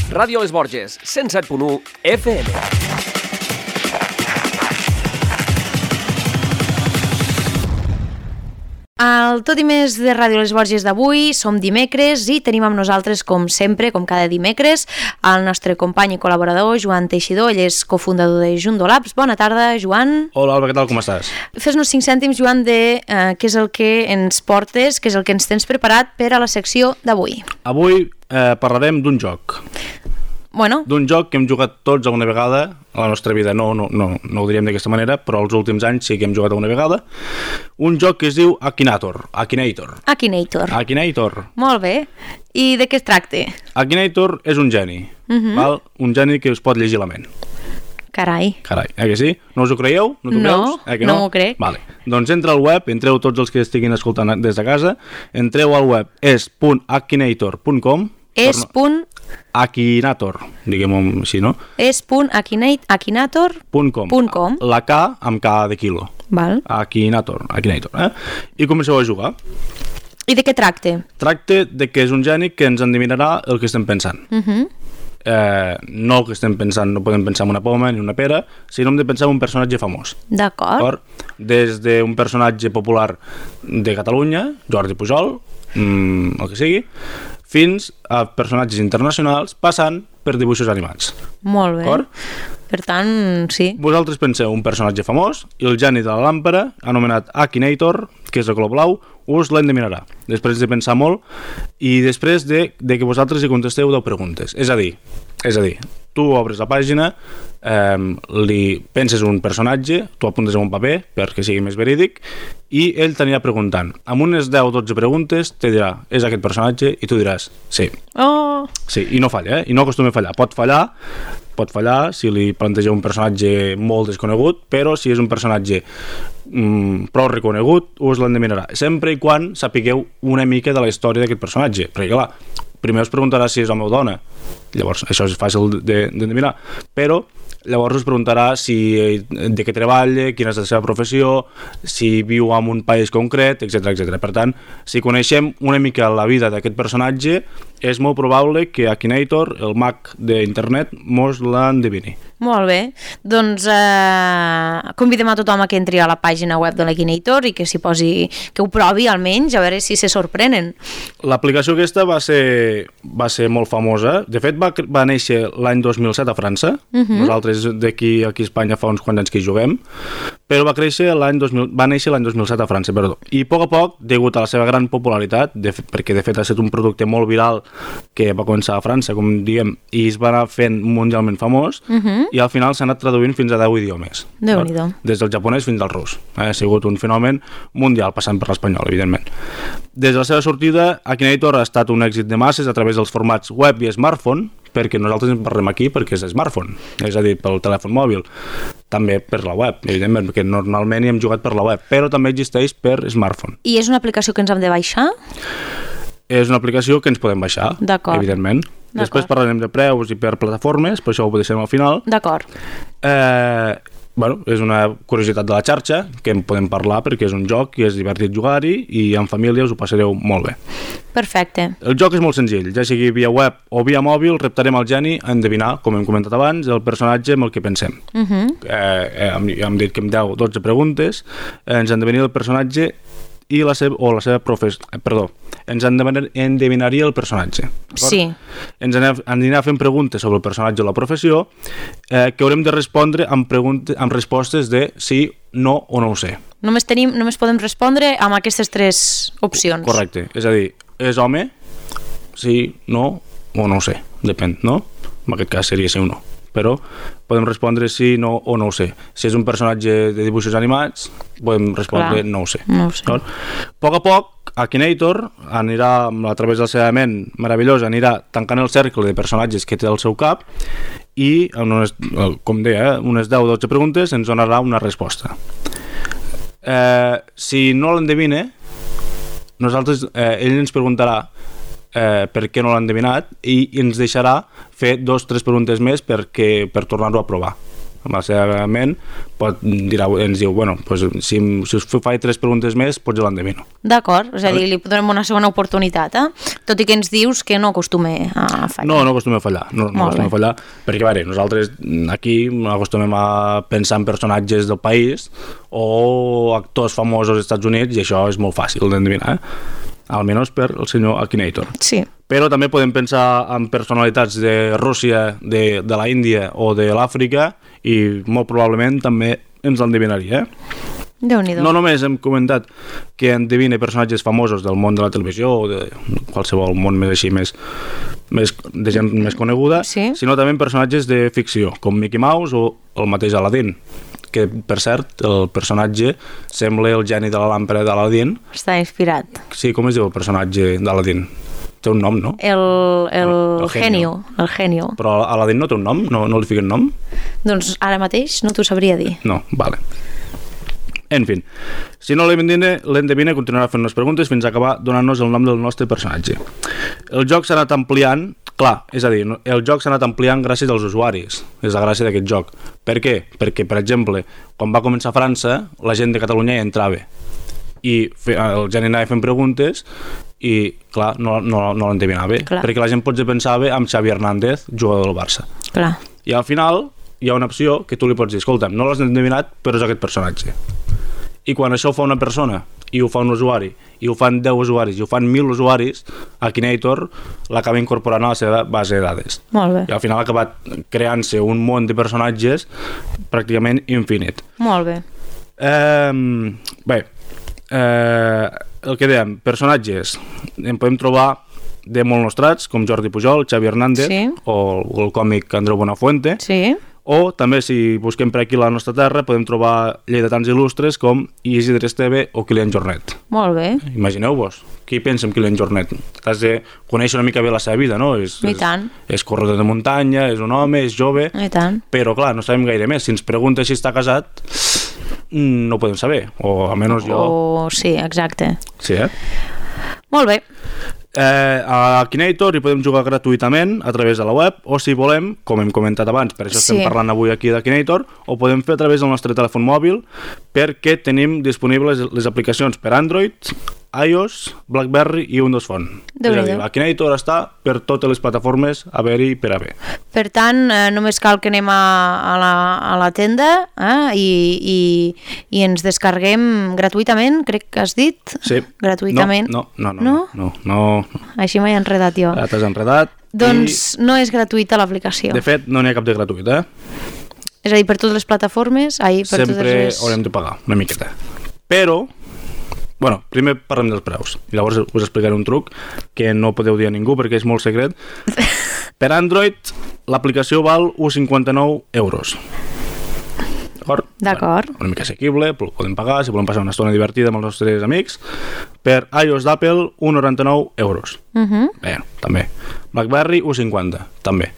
Ràdio Les Borges, 107.1 FM. El Tot i més de Ràdio Les Borges d'avui, som dimecres i tenim amb nosaltres, com sempre, com cada dimecres, el nostre company i col·laborador, Joan Teixidor. Ell és cofundador de Jundo Labs. Bona tarda, Joan. Hola, Alba, què tal, com estàs? Fes-nos 5 cèntims, Joan, de què és el que ens portes, què és el que ens tens preparat per a la secció d'avui. Avui parlarem d'un joc. Bueno. D'un joc que hem jugat tots alguna vegada a la nostra vida. No ho diríem d'aquesta manera, però els últims anys sí que hem jugat alguna vegada. Un joc que es diu Akinator. Molt bé. I de què es tracta? Akinator és un geni. Val? Un geni que us pot llegir la ment. Carai, que sí? No us ho creieu? No t'ho creus? No m'ho crec. Vale. Doncs entra al web, entreu tots els que estiguin escoltant des de casa, entreu al web es.akinator.com Akinator, diguem-ho així, no? es.akinator.com La K amb K de quilo. Val. Akinator. I comenceu a jugar. I de què tracta? Tracta de que és un geni que ens endivinarà el que estem pensant. No el que estem pensant, no podem pensar en una poma ni una pera, sinó hem de pensar en un personatge famós. D'acord. Des d'un personatge popular de Catalunya, Jordi Pujol, el que sigui, fins a personatges internacionals passant per dibuixos animats. Molt bé. D'acord? Per tant, sí. Vosaltres penseu un personatge famós i el geni de la làmpara, anomenat Akinator, que és de color blau, us l'endevinarà. Després de pensar molt i després de que vosaltres hi contesteu 10 preguntes. És a dir, tu obres la pàgina, li penses un personatge, tu apuntes en un paper perquè sigui més verídic i ell t'anirà preguntant. Amb unes 10 o 12 preguntes te dirà, és aquest personatge? I tu diràs, sí. Sí, i no falla, i no acostuma a fallar. Pot fallar si li plantegeu un personatge molt desconegut, però si és un personatge prou reconegut, us l'endevinarà. Sempre i quan sapigueu una mica de la història d'aquest personatge. Perquè, clar, primer us preguntarà si és home o dona. Llavors, això és fàcil d'endevinar. Però llavors us preguntarà de què treballa, quina és la seva professió, si viu en un país concret, etc. Per tant, si coneixem una mica la vida d'aquest personatge, és molt probable que Akinator, el mag d'internet, mos l'endevini. Molt bé. Doncs convidem a tothom a que entri a la pàgina web de l'Akinator i que s'hi posi, que ho provi almenys, a veure si se sorprenen. L'aplicació aquesta va ser molt famosa. De fet, va néixer l'any 2007 a França. Nosaltres d'aquí a Espanya fa uns quants anys que hi juguem, però va néixer l'any 2007 a França, perdó. I a poc, degut a la seva gran popularitat, perquè de fet ha estat un producte molt viral que va començar a França, com diem, i es va anar fent mundialment famós, i al final s'ha anat traduint fins a 10 idiomes. Déu-n'hi-do. Des del japonès fins al rus. Ha sigut un fenomen mundial, passant per l'espanyol, evidentment. Des de la seva sortida, Akinator ha estat un èxit de masses a través dels formats web i smartphone, perquè nosaltres en parlem aquí perquè és smartphone, és a dir, pel telèfon mòbil, també per la web, evidentment, perquè normalment hi hem jugat per la web, però també existeix per smartphone. I és una aplicació que ens hem de baixar? És una aplicació que ens podem baixar, evidentment. Després parlarem de preus i per plataformes, però això ho deixem al final. D'acord. És una curiositat de la xarxa, que en podem parlar perquè és un joc i és divertit jugar-hi i en família us ho passareu molt bé. Perfecte. El joc és molt senzill, ja sigui via web o via mòbil, reptarem al geni a endevinar, com hem comentat abans, el personatge amb el que pensem. Hem dit que amb 10 o 12 preguntes ens endevinaria el personatge i la seva professió, ens endevinaria el personatge. Sí. Ens anirà fent preguntes sobre el personatge o la professió que haurem de respondre amb respostes de sí, no o no ho sé. Només podem respondre amb aquestes 3 opcions. Correcte, és a dir, és home, sí, no o no ho sé, depèn, no? En aquest cas seria sí o no. Però podem respondre sí, no o no ho sé. Si és un personatge de dibuixos animats, podem respondre no ho sé. No ho sé. A poc, Akinator anirà, a través de la seva ment meravellosa, anirà tancant el cercle de personatges que té al seu cap i, com deia, unes 10 o 12 preguntes ens donarà una resposta. Si no l'endevina, ell ens preguntarà per què no l'ha endevinat i ens deixarà fer 2 o 3 preguntes més per tornar-ho a provar. amb la seva ment, ens diu, bueno, pues, si us faig 3 preguntes més, potser l'endevino. D'acord, és a dir, li donem una segona oportunitat, tot i que ens dius que no acostuma a fallar. No acostuma a fallar, no acostuma a fallar, perquè, a veure, nosaltres aquí acostumem a pensar en personatges del país o actors famosos als Estats Units, i això és molt fàcil d'endevinar, almenys per el senyor Akinator. Sí. Però també podem pensar en personalitats de Rússia, de la Índia o de l'Àfrica, i molt probablement també ens l'endevinaria. Déu-n'hi-do. No només hem comentat que endevine personatges famosos del món de la televisió o de qualsevol món més així, de gent més coneguda, sí, sinó també personatges de ficció, com Mickey Mouse o el mateix Aladdin, que, per cert, el personatge sembla el geni de la làmpara d'Aladdin. Està inspirat. Sí, com es diu el personatge d'Aladdin? Té un nom, no? El genio. El genio. Però Aladdin no té un nom? No li fiquen nom? Doncs ara mateix no t'ho sabria dir. No, vale. En fi, si no l'endevina continuarà fent unes preguntes fins a acabar donant-nos el nom del nostre personatge. El joc s'ha anat ampliant, clar, és a dir, el joc s'ha anat ampliant gràcies als usuaris, és la gràcia d'aquest joc. Per què? Perquè, per exemple, quan va començar a França, la gent de Catalunya hi entrava i el gent anava fent preguntes i, clar, no l'endevinava, perquè la gent potser pensava en Xavi Hernández, jugador del Barça. Clar. I al final hi ha una opció que tu li pots dir, escolta'm, no l'has endevinat, però és aquest personatge. I quan això ho fa una persona, i ho fa un usuari, i ho fan 10 usuaris, i ho fan 1.000 usuaris, Akinator l'acaba incorporant a la seva base de dades. Molt bé. I al final ha acabat creant-se un món de personatges pràcticament infinit. Molt bé. El que dèiem, personatges, en podem trobar de molt nostrats, com Jordi Pujol, Xavi Hernández, sí, o el còmic Andreu Buenafuente, sí, o també, si busquem per aquí a la nostra terra, podem trobar lleidatans il·lustres com Isidre Esteve o Kilian Jornet. Molt bé. Imagineu-vos, qui pensa en Kilian Jornet? Has de conèixer una mica bé la seva vida, no? I tant. És corredor de muntanya, és un home, és jove, I tant. Però clar, no sabem gaire més. Si ens pregunta si està casat, no ho podem saber, o almenys jo... Sí, exacte. Sí, Molt bé. A Akinator hi podem jugar gratuïtament a través de la web, o si volem, com hem comentat abans, per això estem parlant avui aquí d'Akinator, ho podem fer a través del nostre telèfon mòbil, perquè tenim disponibles les aplicacions per Android, iOS, BlackBerry i Windows Phone. És a dir, l'Akinator està per totes les plataformes a haver-hi per haver. Per tant, només cal que anem a la tenda i ens descarreguem gratuïtament, crec que has dit? Sí. Gratuïtament. No. Així m'he enredat jo. Ja t'has enredat. Doncs no és gratuïta l'aplicació. De fet, no n'hi ha cap de gratuït, És a dir, per totes les plataformes, sempre haurem de pagar una miqueta. Però, bueno, primer parlem dels preus i llavors us explicaré un truc que no podeu dir a ningú perquè és molt secret. Per Android l'aplicació val 1,59 €. D'acord. Bueno, una mica assequible, podem pagar si volem passar una estona divertida amb els nostres amics. Per iOS d'Apple 1,99 €. Bé, també. BlackBerry 1,50, també.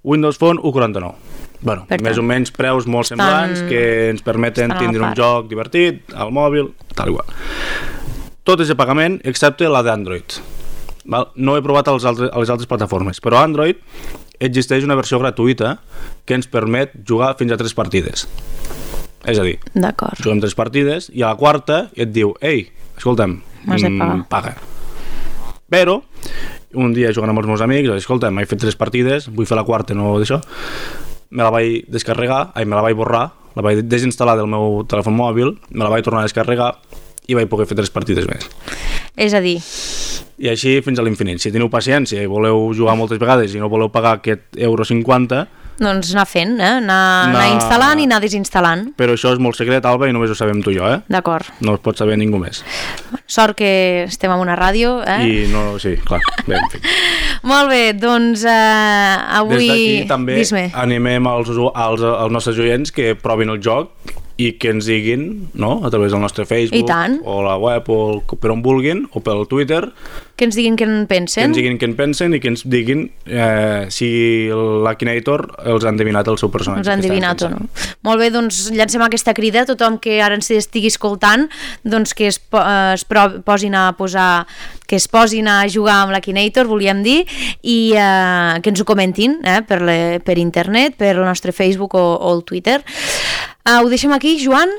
Windows Phone 1,49. Bueno, més o menys preus molt semblants que ens permeten tindre un joc divertit al mòbil, tal igual. Tot és de pagament excepte la d'Android. No he provat a les altres plataformes, però a Android existeix una versió gratuïta que ens permet jugar fins a 3 partides. És a dir, juguem 3 partides i a la quarta et diu, ei, escolta'm, paga. Però un dia jugant amb els meus amics, escolta'm, he fet 3 partides, vull fer la quarta, no d'això, me la vaig descarregar, me la vaig borrar, la vaig desinstal·lar del meu telèfon mòbil, me la vaig tornar a descarregar i vaig poder fer 3 partides més. És a dir... I així fins a l'infinit. Si teniu paciència i voleu jugar moltes vegades i no voleu pagar aquest €1,50, doncs anar fent, anar instal·lant i anar desinstal·lant. Però això és molt secret, Alba, i només ho sabem tu i jo, D'acord. No ho pot saber ningú més. Sort que estem en una ràdio, I no, sí, clar. Bé, en fi. Molt bé, doncs avui... Des d'aquí també animem als nostres oients que provin el joc i que ens diguin, no?, a través del nostre Facebook o la web o per on vulguin, o pel Twitter, que ens diguin què en pensen. Que ens diguin què en pensen i que ens diguin si l'Akinator els han adivinat el seu personatge. Els han adivinat o no. Molt bé, doncs llancem aquesta crida a tothom que ara ens estigui escoltant, doncs que es posin a jugar amb l'Akinator, volíem dir, i que ens ho comentin per internet, per el nostre Facebook o el Twitter. Ho deixem aquí, Joan?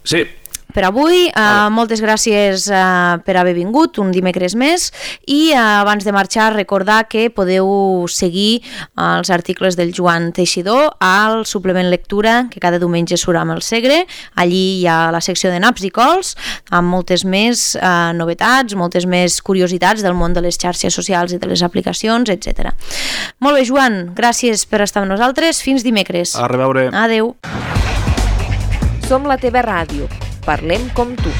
Sí. Per avui, moltes gràcies per haver vingut un dimecres més, i abans de marxar recordar que podeu seguir els articles del Joan Teixidor al suplement lectura que cada diumenge surt amb el Segre. Allí hi ha la secció de naps i cols amb moltes més novetats, moltes més curiositats del món de les xarxes socials i de les aplicacions, etc. Molt bé, Joan, gràcies per estar amb nosaltres. Fins dimecres. A reveure. Adeu. Som la teva ràdio. Parlem com tu.